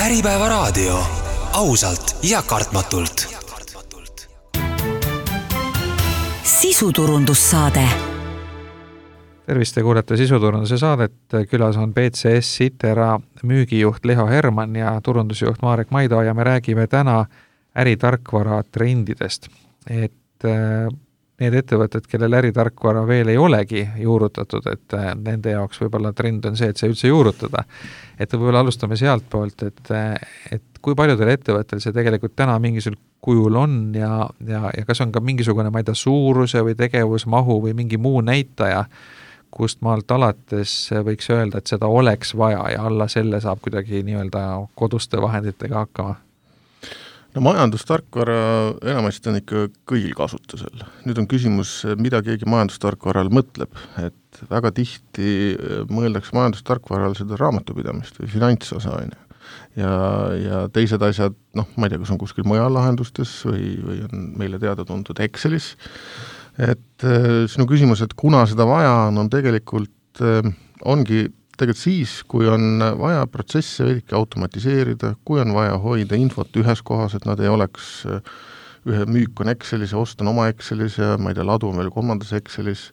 Äripäeva raadio. Ausalt ja kartmatult. Sisuturundussaade. Tervist, te kuulete Sisuturunduse saadet. Külas on BCS Itera müügijuht Leho Herman ja turundusjuht Marek Maido ja me räägime täna äritarkvara trendidest. Need ettevõtted, kellel äritarkvara veel ei olegi juurutatud, et nende jaoks võib-olla trend on see, et see üldse juurutada. Et võib-olla alustame sealt poolt, et kui paljudel ettevõttel see tegelikult täna mingisugune kujul on ja kas on ka mingisugune, ma ei tea, suuruse või tegevusmahu või mingi muu näitaja, kust maalt alates võiks öelda, et seda oleks vaja ja alla selle saab kuidagi nii-öelda koduste vahenditega hakkama? No majandustarkvara enamasti on ikka kõigil kasutusel. Nüüd on küsimus, mida keegi majandustarkvaral mõtleb, et väga tihti mõeldakse majandustarkvaral seda raamatupidamist või finantsosa. Ja teised asjad, ma ei tea, kas on kuskil mujal lahendustes või on meile teada tuntud Excelis. Et sinu küsimus, et kuna seda vaja on tegelikult ongi tegelikult siis, kui on vaja protsesse veidike automatiseerida, kui on vaja hoida infot ühes kohas, et nad ei oleks ühe müük on Excelis ja ost on oma Excelis ja ma ei tea, ladu on veel kolmandas Excelis,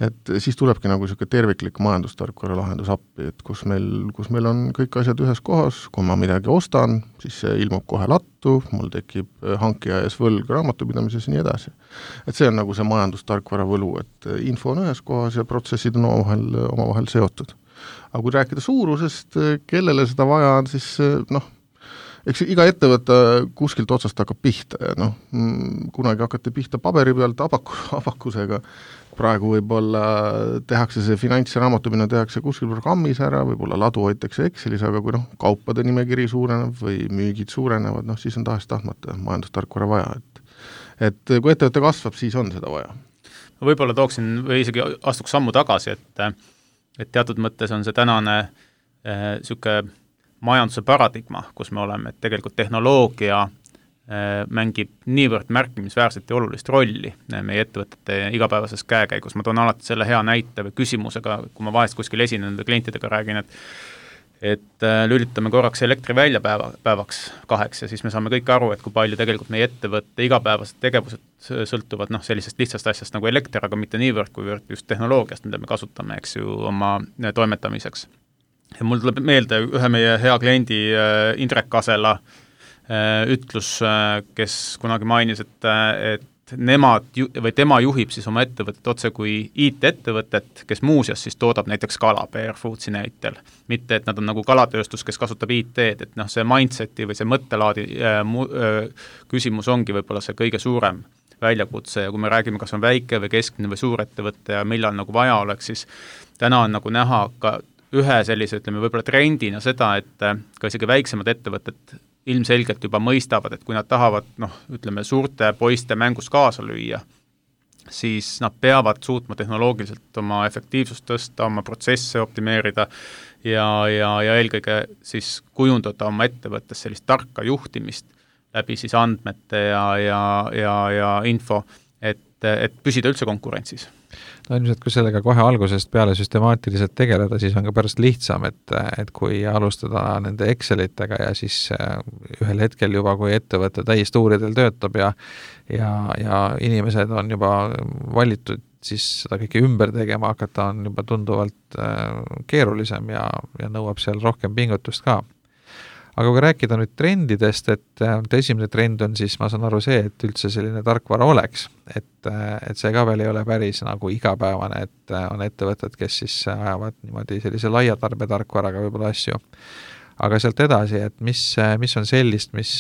et siis tulebki nagu selline terviklik majandustarkvara lahendus appi, et kus meil on kõik asjad ühes kohas, kui ma midagi ostan, siis see ilmub kohe lattu, mul tekib hankija ees võlg raamatupidamises ja nii edasi. Et see on nagu see majandustarkvara võlu, et info on ühes kohas ja protsessid on omavahel seotud. Aga kui rääkida suurusest, kellele seda vaja on, siis eks iga ettevõte kuskilt otsast hakkab pihta ja kunagi hakati pihta paberi pealt abakusega. Praegu võib-olla tehakse see finants- ja raamatupidamine tehakse kuskil programmis ära, võib-olla ladu hoitakse Excelis, aga kui kaupade nimekiri suureneb või müügid suurenevad, siis on tahes-tahtmata majandustarkvara vaja. Et kui ettevõte kasvab, siis on seda vaja. Võib-olla tooksin või isegi astuks sammu tagasi, et teatud mõttes on see tänane siuke majanduse paradigma, kus me oleme, et tegelikult tehnoloogia mängib niivõrd märkimisväärselt ja olulist rolli meie ettevõtete igapäevases käekäigus. Ma toon alati selle hea näite või küsimusega, kui ma vahest kuskil esinenud klientidega räägin, et lülitame korraks elektri välja päevaks 2 ja siis me saame kõik aru, et kui palju tegelikult meie ettevõtte igapäevased tegevused sõltuvad sellisest lihtsast asjast nagu elekter, aga mitte niivõrd, kuivõrd just tehnoloogiast, mida me kasutame, eks ju, oma toimetamiseks. Ja mul tuleb meelde ühe meie hea kliendi Indrek Kasela ütlus, kes kunagi mainis, et tema juhib siis oma ettevõtet otse kui IT-ettevõtet, kes muuseas siis toodab näiteks kala PR Foodsi näitel. Mitte, et nad on nagu kalatööstus, kes kasutab IT-d, et see mindseti või see mõttelaadi küsimus ongi võib-olla see kõige suurem väljakutse ja kui me räägime, kas on väike või keskmine või suur ettevõtte ja millal nagu vaja oleks, siis täna on nagu näha ka ühe sellise, ütleme, võib-olla trendina seda, et ka isegi väiksemad ettevõtted ilmselgelt juba mõistavad, et kui nad tahavad, ütleme, suurte poiste mängus kaasa lüüa, siis nad peavad suutma tehnoloogiliselt oma efektiivsust tõsta, oma protsesse optimeerida ja eelkõige siis kujundada oma ettevõttes sellist tarka juhtimist läbi siis andmete ja info, et püsida üldse konkurentsis. No ilmselt, kui sellega kohe algusest peale süstemaatiliselt tegeleda, siis on ka pärast lihtsam, et kui alustada nende Excelitega ja siis ühel hetkel juba, kui ettevõte täistuuridel töötab ja inimesed on juba valitud, siis seda kõike ümber tegema hakata on juba tunduvalt keerulisem ja nõuab seal rohkem pingutust ka. Aga kui rääkida nüüd trendidest, et esimene trend on siis, ma saan aru see, et üldse selline tarkvara oleks, et see ka veel ei ole päris nagu igapäevane, et on ettevõtted, kes siis ajavad niimoodi sellise laia tarbetarkvaraga võib-olla asju. Aga sealt edasi, et mis on sellist, mis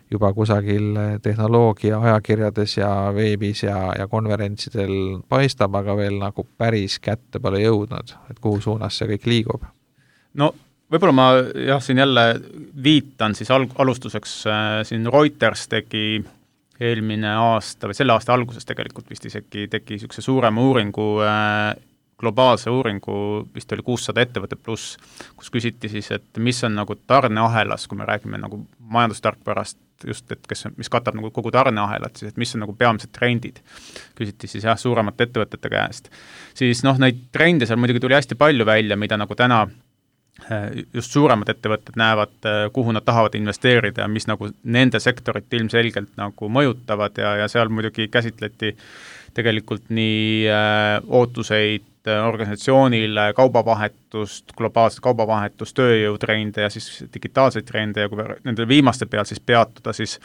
juba kusagil tehnoloogia ajakirjades ja veebis ja konverentsidel paistab, aga veel nagu päris kätte pole jõudnud, et kuhu suunas see kõik liigub? Võib-olla ma siin jälle viitan siis alustuseks, siin Reuters tegi eelmine aasta või selle aasta alguses tegelikult vist isegi tegi niisuguse suurema uuringu, globaalse uuringu, vist oli 600 ettevõtte pluss, kus küsiti siis, et mis on nagu tarneahelas, kui me räägime nagu majandustarkvarast, just, et mis katab nagu kogu tarneahelat, siis et mis on nagu peamised trendid. Küsiti siis suuremate ettevõtete käest. Siis neid trende seal muidugi tuli hästi palju välja, mida nagu täna just suuremad ettevõtted näevad, kuhu nad tahavad investeerida ja mis nagu nende sektorit ilmselgelt nagu mõjutavad ja seal muidugi käsitleti tegelikult nii ootuseid organisatsioonile, kaubavahetust, globaalset kaubavahetust, tööjõutrende ja siis digitaalseid trende ja kui nende viimaste peal siis peatuda, siis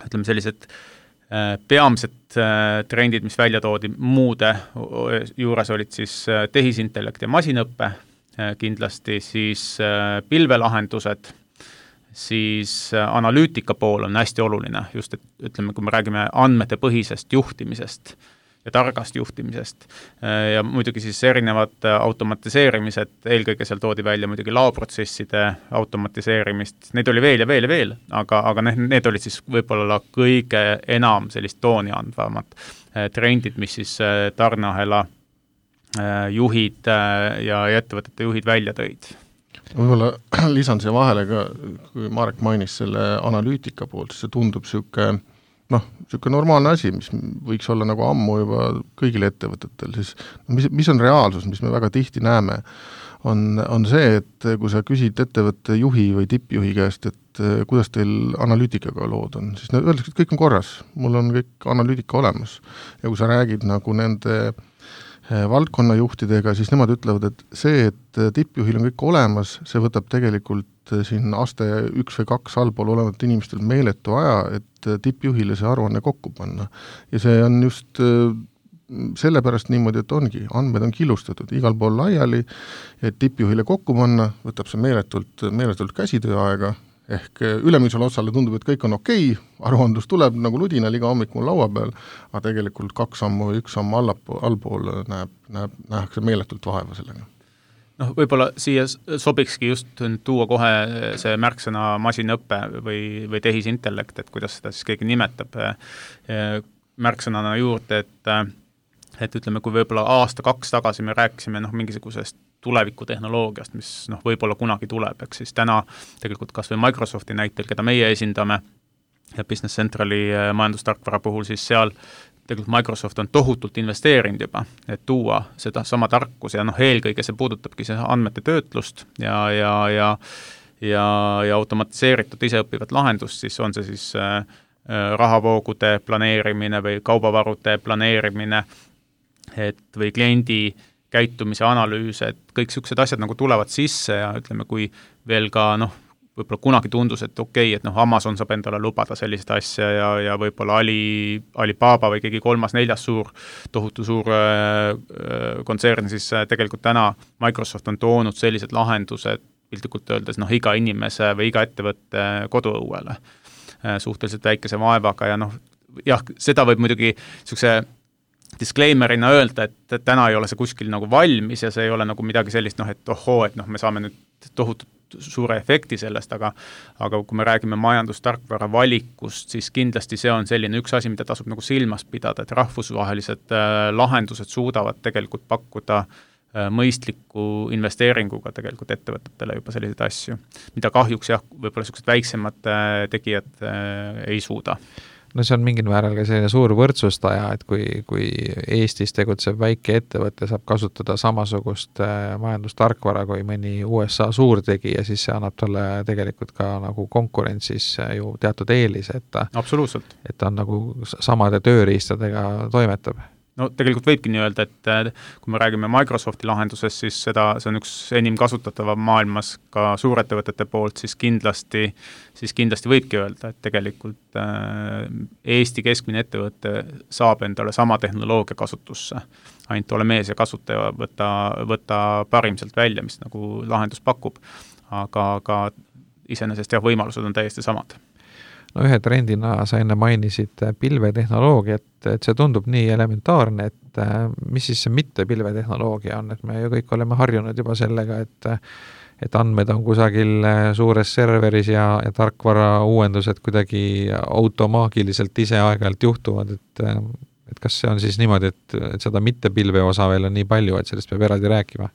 ütleme sellised peamised trendid, mis välja toodi muude juures olid siis tehisintellekt ja masinõppe, kindlasti siis pilvelahendused, siis analüütika pool on hästi oluline, just et ütleme, kui me räägime andmete põhisest juhtimisest ja targast juhtimisest ja muidugi siis erinevad automatiseerimised, eelkõige seal toodi välja muidugi laoprotsesside automatiseerimist, neid oli veel ja veel ja veel, aga need olid siis võib-olla kõige enam sellist tooni andvamad trendid, mis siis tarneahela juhid ja ettevõtete juhid välja tõid. Võib-olla lisan siia vahele ka, kui Marek mainis selle analüütika poolt, siis see tundub niisugune normaalne asi, mis võiks olla nagu ammu juba kõigile ettevõtetel, siis mis on reaalsus, mis me väga tihti näeme, on see, et kui sa küsid ettevõtte juhi või tippjuhi käest, et kuidas teil analüütikaga lood on, siis nad öeldakse, et kõik on korras, mul on kõik analüütika olemas. Ja kui sa räägid nagu nende valdkonnajuhtidega, siis nemad ütlevad, et see, et tippjuhil on kõik olemas, see võtab tegelikult siin aste 1 või 2 allpool olevat inimestel meeletu aja, et tippjuhile see aruanne kokku panna. Ja see on just sellepärast niimoodi, et ongi, andmed on killustatud igal pool laiali, et tippjuhile kokku panna, võtab see meeletult käsitööaega, ehk ülemisele otsale tundub, et kõik on okei, aruandlus tuleb nagu ludinal iga hommik mul laua peal, aga tegelikult 2 sammu või 1 samm allpool nähakse meeletult vaeva sellega. Võib-olla siia sobikski just tuua kohe see märksõna masinõppe või tehisintellekt, et kuidas seda siis keegi nimetab märksõnana juurde, et ütleme, kui võib-olla 1-2 tagasi me rääkisime mingisugusest tulevikutehnoloogiast, mis võib-olla kunagi tuleb, eks siis täna tegelikult kas või Microsofti näitel, keda meie esindame ja Business Centrali majandustarkvara puhul, siis seal tegelikult Microsoft on tohutult investeerinud juba, et tuua seda sama tarkus ja eelkõige see puudutabki see andmete töötlust ja automatiseeritud iseõppivat lahendust, siis on see siis rahavoogude planeerimine või kaubavarude planeerimine, või kliendi käitumise analüüs, et kõik sellised asjad nagu tulevad sisse ja ütleme, kui veel ka võib-olla kunagi tundus, et okei, et Amazon saab endale lubada sellist asja ja võib-olla Alibaba või keegi 3-4 tohutu suur kontsern, siis tegelikult täna Microsoft on toonud sellised lahendused piltlikult öeldes iga inimese või iga ettevõtte koduõuele suhteliselt väikese vaevaga ja seda võib muidugi niisuguse disclaimerina öelda, et täna ei ole see kuskil nagu valmis ja see ei ole nagu midagi sellist, et ohoo, et me saame nüüd tohutut suure efekti sellest, aga kui me räägime majandustarkvara valikust, siis kindlasti see on selline üks asi, mida tasub nagu silmas pidada, et rahvusvahelised lahendused suudavad tegelikult pakkuda mõistliku investeeringuga tegelikult ettevõtetele juba selliseid asju, mida kahjuks võib-olla sellised väiksemad tegijad ei suuda. No see on mingil määral ka selline suur võrdsustaja, et kui Eestis tegutseb väike ettevõte, saab kasutada samasugust majandustarkvara kui mõni USA suurtegija, siis see annab talle tegelikult ka nagu konkurentsis ju teatud eelis, et absoluutselt. Et ta on nagu samade tööriistadega toimetab. No tegelikult võibki nii öelda, et kui me räägime Microsofti lahendusest, siis see on üks enim kasutatava maailmas ka suurettevõtete poolt, siis kindlasti võibki öelda, et tegelikult Eesti keskmine ettevõte saab endale sama tehnoloogia kasutusse. Ainult ole mees ja kasutaja võtta parim sealt välja, mis nagu lahendus pakub, aga iseenesest võimalused on täiesti samad. No ühe trendina sa enne mainisid pilvetehnoloogiat, et see tundub nii elementaarne, et mis siis see mitte pilvetehnoloogia on, et me ju kõik oleme harjunud juba sellega, et andmed on kusagil suures serveris ja tarkvara uuendused kuidagi automaagiliselt ise aeg-ajalt juhtuvad, et kas see on siis niimoodi, et seda mitte pilve osa veel on nii palju, et sellest peab eraldi rääkima?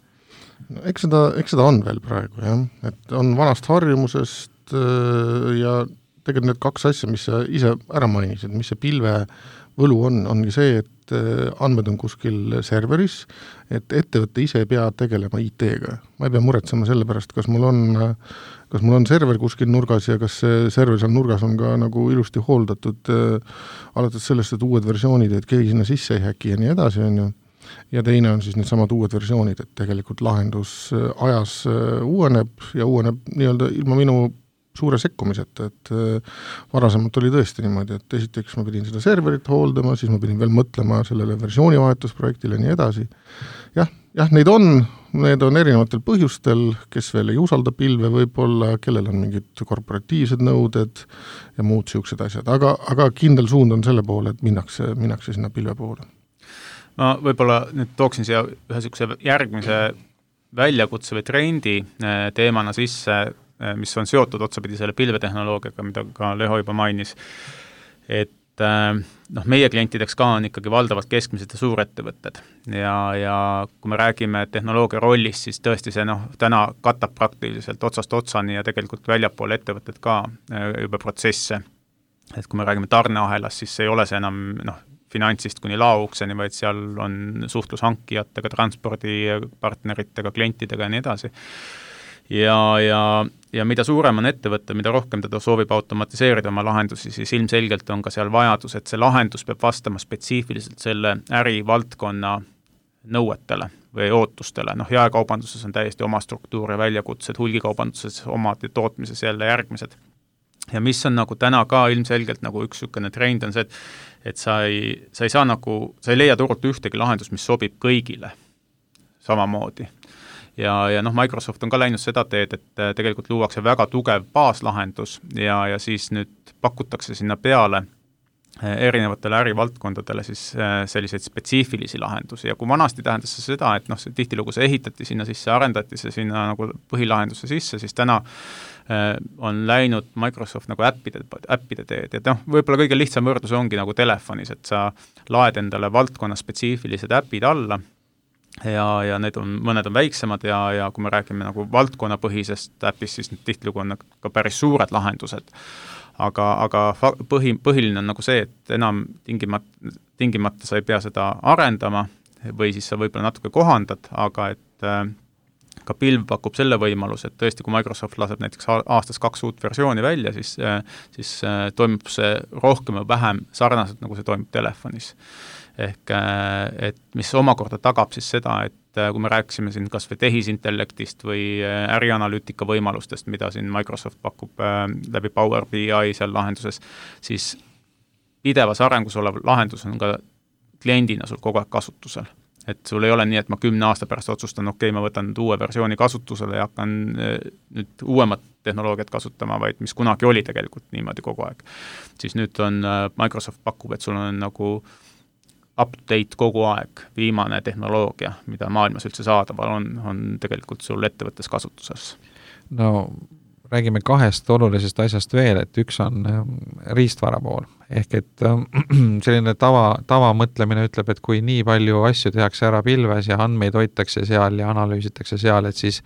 No, eks seda on veel praegu, jah, et on vanast harjumusest ja tegelikult need 2 asja, mis sa ise ära mainisid, mis see pilve võlu ongi see, et et andmed on kuskil serveris, et ettevõte ise ei pea tegelema IT-ga. Ma ei pea muretsema selle pärast, kas mul on server kuskil nurgas ja kas see server seal nurgas on ka nagu ilusti hooldatud, alates sellest, et uued versioonid, et keegi sinna sisse ei häki ja nii edasi, on ju. Ja teine on siis need samad uued versioonid, et tegelikult lahendus ajas uueneb ja uueneb nii-öelda ilma minu suure sekkumiseta, et varasemalt oli tõesti niimoodi, et esiteks ma pidin seda serverit hooldama, siis ma pidin veel mõtlema sellele versioonivahetusprojektile ja nii edasi. Jah, neid on erinevatel põhjustel, kes veel ei usalda pilve võib-olla, kellel on mingid korporatiivsed nõuded ja muud siuksed asjad, aga kindel suund on selle poole, et minnakse sinna pilve poole. Ma võib-olla nüüd tooksin siia ühe sihukese järgmise väljakutse või trendi teemana sisse, mis on seotud otsapidi selle pilvetehnoloogiaga, mida ka Leho juba mainis, et meie klientideks ka on ikkagi valdavalt keskmised ja suurettevõtted ja kui me räägime tehnoloogia rollist, siis tõesti see täna katab praktiliselt otsast otsani ja tegelikult väljapool ettevõtted ka juba protsesse, et kui me räägime tarneahelast, siis ei ole see enam finantsist kuni laoukseni, vaid seal on suhtlus hankijatega, transpordipartneritega, klientidega ja nii edasi. Ja mida suurem on ettevõte, mida rohkem teda soovib automatiseerida oma lahendusi, siis ilmselgelt on ka seal vajadus, et see lahendus peab vastama spetsiifiliselt selle ärivaldkonna nõuetele või ootustele. Jaekaubanduses on täiesti oma struktuur ja väljakutsed, hulgikaubanduses omad ja tootmises jälle järgmised. Ja mis on nagu täna ka ilmselgelt nagu üks sükene trend on see, et sa ei leia turult ühtegi lahendus, mis sobib kõigile samamoodi. Ja Microsoft on ka läinud seda teed, et tegelikult luuakse väga tugev baaslahendus ja siis nüüd pakutakse sinna peale erinevatele ärivaldkondadele siis selliseid spetsiifilisi lahendusi ja kui vanasti tähendas see seda, et tihtilugu see ehitati sinna sisse, arendati see sinna nagu põhilahenduse sisse, siis täna on läinud Microsoft nagu äppide teed ja võib-olla kõige lihtsam võrdlus ongi nagu telefonis, et sa laed endale valdkonna spetsiifilised äpid alla ja mõned on väiksemad ja kui me räägime nagu valdkonnapõhisest äpist, siis tihtilugu on ka päris suured lahendused. Aga põhiline on nagu see, et enam tingimata sa ei pea seda arendama või siis sa võib-olla natuke kohandad, aga et ka pilv pakub selle võimalus, et tõesti, kui Microsoft laseb näiteks aastas 2 uut versiooni välja, siis toimub see rohkem või vähem sarnaselt, nagu see toimub telefonis. Ehk, et mis omakorda tagab siis seda, et kui me rääkisime siin kas või tehisintellektist või ärianalüütika võimalustest, mida siin Microsoft pakub läbi Power BI seal lahenduses, siis pidevas arengus olev lahendus on ka kliendina sul kogu aeg kasutusel. Et sul ei ole nii, et ma 10 aasta pärast otsustan, ma võtan nüüd uue versiooni kasutusele ja hakkan nüüd uuemat tehnoloogiat kasutama, vaid mis kunagi oli tegelikult niimoodi kogu aeg. Siis nüüd on Microsoft pakub, et sul on nagu up-to-date kogu aeg, viimane tehnoloogia, mida maailmas üldse saadaval on tegelikult sul ettevõttes kasutuses. No räägime 2 olulisest asjast veel, et üks on riistvara pool. Ehk et selline tava mõtlemine ütleb, et kui nii palju asju tehakse ära pilves ja andmeid hoitakse seal ja analüüsitakse seal, et siis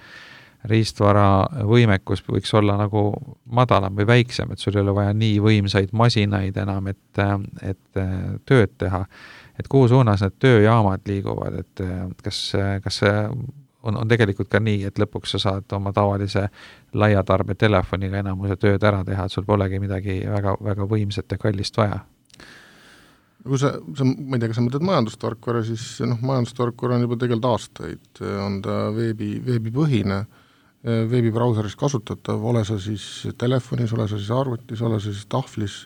riistvara võimekus võiks olla nagu madalam või väiksem, et sul ei ole vaja nii võimsaid masinaid enam, et tööd teha. Et kuhu suunas need tööjaamad liiguvad, et kas see on tegelikult ka nii, et lõpuks sa saad oma tavalise laiatarbe telefoniga enamuse tööd ära teha, et sul polegi midagi väga, väga võimsat ja kallist vaja. Kui sa ma ei tea, kas sa mõtled majandustarkvara, siis majandustarkvara on juba tegelikult aastaid, on ta veebipõhine, veebibrauseris kasutatav, ole sa siis telefonis, ole sa siis arvutis, ole sa siis tahvlis,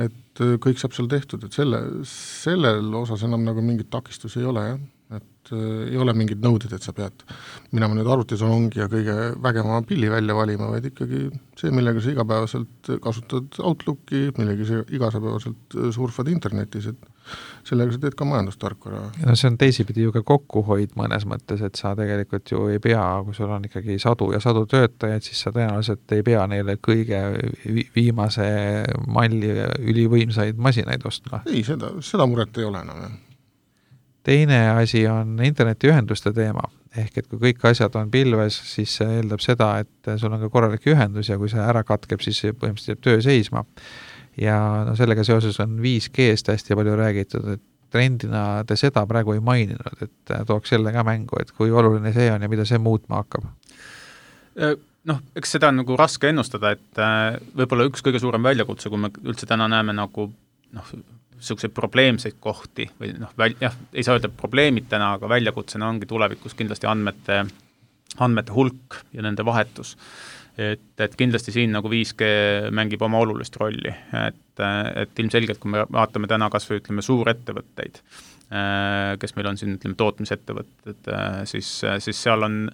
et kõik saab seal tehtud, et sellel osas enam nagu mingit takistusi ei ole, et ei ole mingid nõuded, et sa pead minema nüüd arvutisalongi ja kõige vägema pilli välja valima, vaid ikkagi see, millega sa igapäevaselt kasutad Outlooki, millega sa igapäevaselt surfad internetis, et sellega sa teed ka majandustarkvara. No see on teisipidi ju ka kokkuhoid mõnes mõttes, et sa tegelikult ju ei pea, kui sul on ikkagi sadu ja sadu töötajaid, siis sa tõenäoliselt ei pea neile kõige viimase malli ülivõimsaid masinaid ostma. Ei, seda muret ei ole enam. Teine asi on internetiühenduste teema, ehk et kui kõik asjad on pilves, siis see eeldab seda, et sul on ka korralik ühendus ja kui see ära katkeb, siis põhimõtteliselt jääb töö seisma. Ja sellega seoses on 5G-st hästi palju räägitud, et trendina te seda praegu ei maininud, et tooks selle ka mängu, et kui oluline see on ja mida see muutma hakkab? Noh, eks seda on nagu raske ennustada, et võib-olla üks kõige suurem väljakutse, kui me üldse täna näeme nagu selliseid probleemseid kohti või ei saa öelda probleemid täna, aga väljakutsena ongi tulevikus kindlasti andmete hulk ja nende vahetus. Et kindlasti siin nagu 5G mängib oma olulist rolli, et ilmselgelt, kui me vaatame täna kas või ütleme suurettevõtteid, kes meil on siin ütleme tootmisettevõtted, siis seal on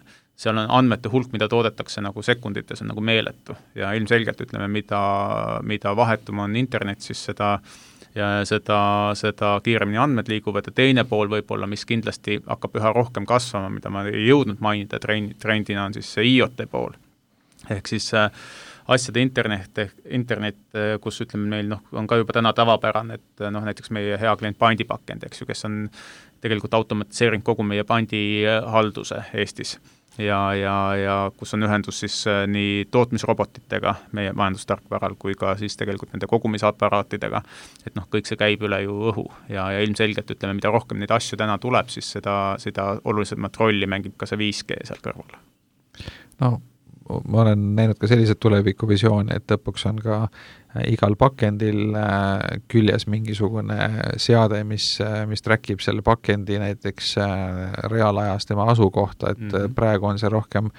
andmete hulk, mida toodetakse nagu sekundites, on nagu meeletu ja ilmselgelt ütleme, mida vahetum on internet, siis seda kiiremini andmed liiguvad ja teine pool võib-olla, mis kindlasti hakkab üha rohkem kasvama, mida ma ei jõudnud mainida trendina, on siis see IoT pool. Ehk siis asjade internet, kus ütleme meil on ka juba täna tavapärane, et näiteks meie hea klient pandipakend, eks ju, kes on tegelikult automatiseerinud kogu meie pandihalduse Eestis ja kus on ühendus siis nii tootmisrobotitega meie majandustarkvaral kui ka siis tegelikult nende kogumisaparaatidega, et kõik see käib üle ju õhu ja ilmselgelt ütleme, mida rohkem neid asju täna tuleb, siis seda olulisemat rolli mängib ka see 5G seal kõrval. No ma olen näinud ka sellised tulevikuvisioone, et lõpuks on ka igal pakendil küljes mingisugune seade, mis trackib selle pakendi näiteks reaalajas tema asukohta, et praegu on see rohkem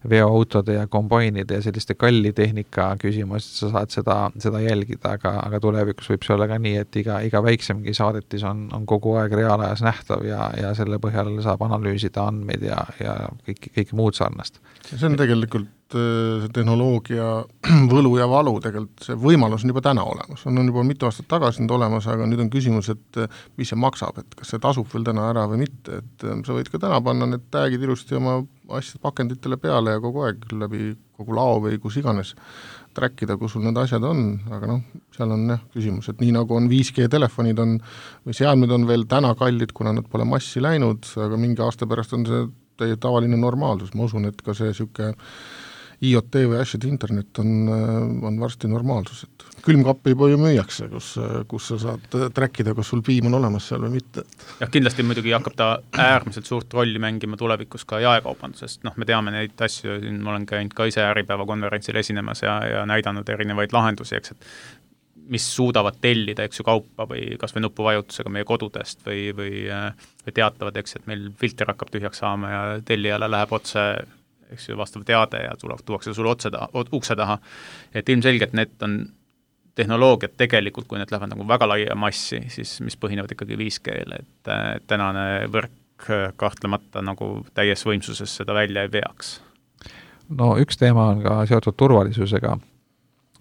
veoautode ja kombainide ja selliste kalli tehnika küsimus, et sa saad seda jälgida, aga tulevikus võib see olla ka nii, et iga väiksemgi saadetis on kogu aeg reaalajas nähtav ja selle põhjal saab analüüsida andmeid ja kõike muud sarnast. See on tegelikult see tehnoloogia võlu ja valu tegelikult, see võimalus on juba täna olemas, on juba mitu aastat tagasi nüüd olemas, aga nüüd on küsimus, et mis see maksab, et kas see tasub veel täna ära või mitte, et sa võid ka täna panna need tagid ilusti oma asjad pakenditele peale ja kogu aeg läbi kogu lao või kus iganes trackida, kus sul need asjad on, aga seal on küsimus, et nii nagu on 5G telefonid või seadmed on veel täna kallid, kuna nad pole massi läinud, aga mingi aasta pärast on see tavaline normaalsus, ma usun, et ka see siuke IoT või asjade internet on varsti normaalsus, et külmkappi juba ju müüakse, kus sa saad trackida, kas sul piim on olemas seal või mitte. Ja kindlasti muidugi hakkab ta äärmiselt suurt rolli mängima tulevikus ka jaekaubandusest, me teame neid asju, ma olen käinud ka ise Äripäeva konverentsil esinemas ja näidanud erinevaid lahendusi, eks, et mis suudavad tellida, eks ju, kaupa või kas või nupuvajutusega meie kodudest või teatavad, eks, et meil filter hakkab tühjaks saama ja tellijale läheb otse, eks ju, vastav teade ja tuuakse sul ukse taha. Et ilmselgelt need on tehnoloogiad tegelikult, kui need lähevad nagu väga laia massi, siis mis põhinevad ikkagi 5G-le, et tänane võrk kahtlemata nagu täies võimsuses seda välja ei veaks. No üks teema on ka seotud turvalisusega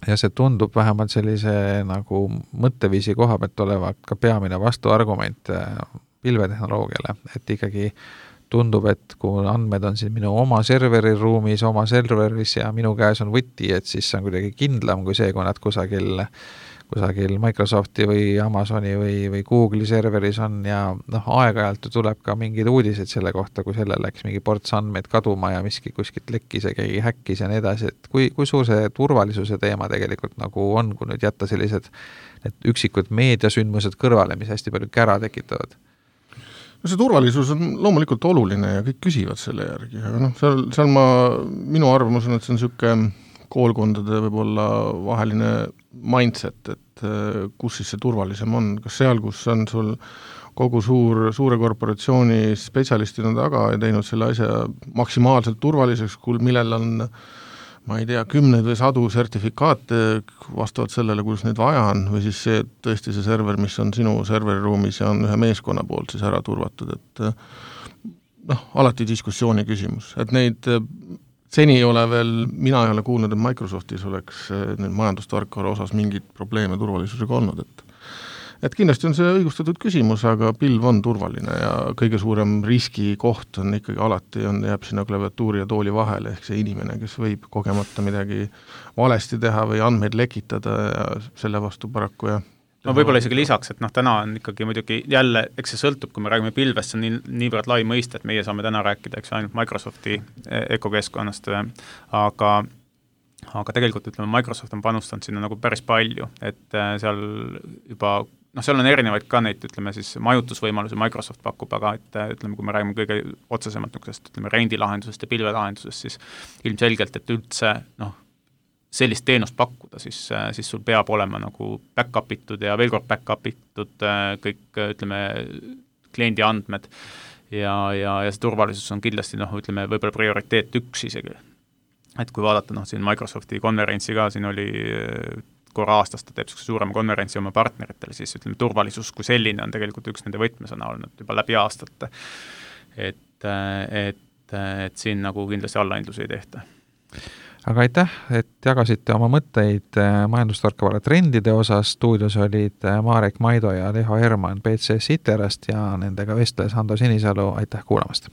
ja see tundub vähemalt sellise nagu mõtteviisi koha pealt olevat ka peamine vastuargument pilvetehnoloogiale, et ikkagi tundub, et kui andmed on siin minu oma serveriruumis, oma serveris ja minu käes on võti, et siis see on kuidagi kindlam kui see, kui nad kusagil Microsofti või Amazoni või Google'i serveris on ja aeg-ajalt tuleb ka mingid uudised selle kohta, kui selle läks mingi ports andmeid kaduma ja miski kuskilt lekkis ja keegi häkkis ja nii edasi, et kui suur see turvalisuse teema tegelikult nagu on, kui nüüd jätta sellised üksikud meediasündmused kõrvale, mis hästi palju kära tekitavad? No see turvalisus on loomulikult oluline ja kõik küsivad selle järgi, aga seal minu arvamus on, et see on siuke koolkondade võib-olla vaheline mindset, et kus siis see turvalisem on, kas seal, kus on sul kogu suure korporatsiooni spetsialistid on taga ja teinud selle asja maksimaalselt turvaliseks, millel on ma ei tea, 10 või 100 sertifikaate vastavalt sellele, kuidas neid vaja on, või siis see tõesti see server, mis on sinu serveriruumis ja on ühe meeskonna poolt siis ära turvatud, et alati diskussiooni küsimus, et neid seni ei ole veel, mina ei ole kuulnud, et Microsoftis oleks majandustarkvara osas mingid probleeme turvalisusega olnud, et kindlasti on see õigustatud küsimus, aga pilv on turvaline ja kõige suurem riskikoht on ikkagi alati, jääb sinna klaviatuuri ja tooli vahele, ehk see inimene, kes võib kogemata midagi valesti teha või andmeid lekitada ja selle vastu paraku ja võib-olla isegi lisaks, et täna on ikkagi muidugi jälle, eks see sõltub, kui me räägime pilvest, see on niivõrd lai mõiste, et meie saame täna rääkida, eks ainult Microsofti ökokeskkonnast, aga tegelikult ütleme, Microsoft on panustanud sinna nagu päris palju, et seal juba seal on erinevaid ka neid, ütleme siis majutusvõimalusi Microsoft pakub, aga ütleme, kui me räägime kõige otsesemalt niisugusest, ütleme, rendilahendusest ja pilvelahendusest, siis ilmselgelt, et üldse sellist teenust pakkuda, siis sul peab olema nagu back-up itud ja veel kord back-up itud kõik, ütleme, kliendi andmed ja see turvalisus on kindlasti, ütleme, võib-olla prioriteet 1 isegi. Et kui vaadata, siin Microsofti konverentsi ka, siin oli korra aastas ta teeb suurema konverentsi oma partneritele, siis ütleme, turvalisus kui selline on tegelikult üks nende võtmesõna olnud juba läbi aastate. Et siin nagu kindlasti allahindlusi ei tehta. Aga aitäh, et jagasite oma mõtteid majandustarkvara trendide osas. Stuudios olid Marek Maido ja Leho Herman BCS Iterast ja nendega vestles Hando Sinisalu. Aitäh kuulamast!